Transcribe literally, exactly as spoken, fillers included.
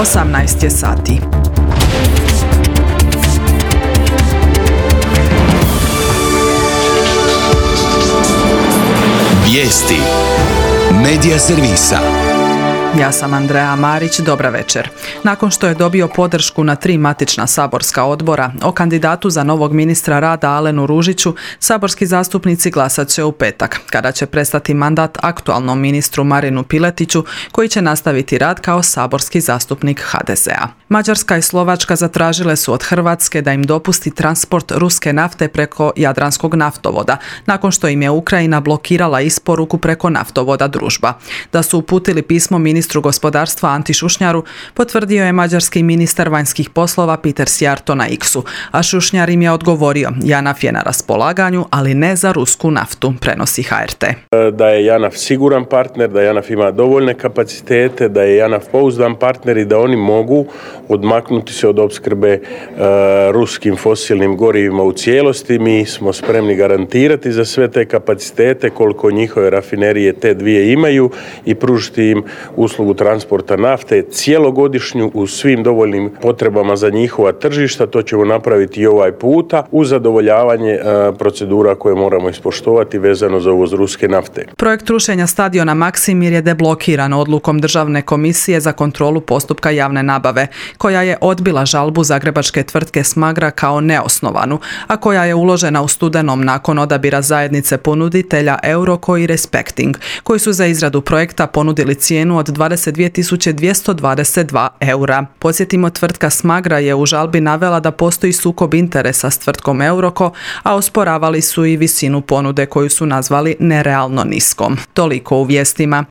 osamnaest je sati. Vijesti Medija servisa. Ja sam Andreja Marić, dobra večer. Nakon što je dobio podršku na tri matična saborska odbora o kandidatu za novog ministra rada Alenu Ružiću, saborski zastupnici glasat će u petak, kada će prestati mandat aktualnom ministru Marinu Piletiću, koji će nastaviti rad kao saborski zastupnik ha de ze a. Mađarska i Slovačka zatražile su od Hrvatske da im dopusti transport ruske nafte preko Jadranskog naftovoda, nakon što im je Ukrajina blokirala isporuku preko naftovoda Družba. Da su uputili pismo ministru gospodarstva Anti Šušnjaru, potvrdio je mađarski ministar vanjskih poslova Peter Szijjártó na X-u, a Šušnjar im je odgovorio: JANAF je na raspolaganju, ali ne za rusku naftu, prenosi ha er te. Da je JANAF siguran partner, da JANAF ima dovoljne kapacitete, da je JANAF pouzdan partner i da oni mogu odmaknuti se od opskrbe uh, ruskim fosilnim gorivima u cijelosti. Mi smo spremni garantirati za sve te kapacitete koliko njihove rafinerije te dvije imaju i pružiti im uslugu transporta nafte cijelogodišnju u svim dovoljnim potrebama za njihova tržišta. To ćemo napraviti i ovaj puta uz zadovoljavanje uh, procedura koje moramo ispoštovati vezano za uvoz ruske nafte. Projekt rušenja stadiona Maksimir je deblokiran odlukom Državne komisije za kontrolu postupka javne nabave, koja je odbila žalbu zagrebačke tvrtke Smagra kao neosnovanu, a koja je uložena u studenom nakon odabira zajednice ponuditelja Euroko i Respecting, koji su za izradu projekta ponudili cijenu od dvadeset dvije tisuće dvjesto dvadeset dva eura. Podsjetimo, tvrtka Smagra je u žalbi navela da postoji sukob interesa s tvrtkom Euroko, a osporavali su i visinu ponude koju su nazvali nerealno niskom. Toliko u vijestima.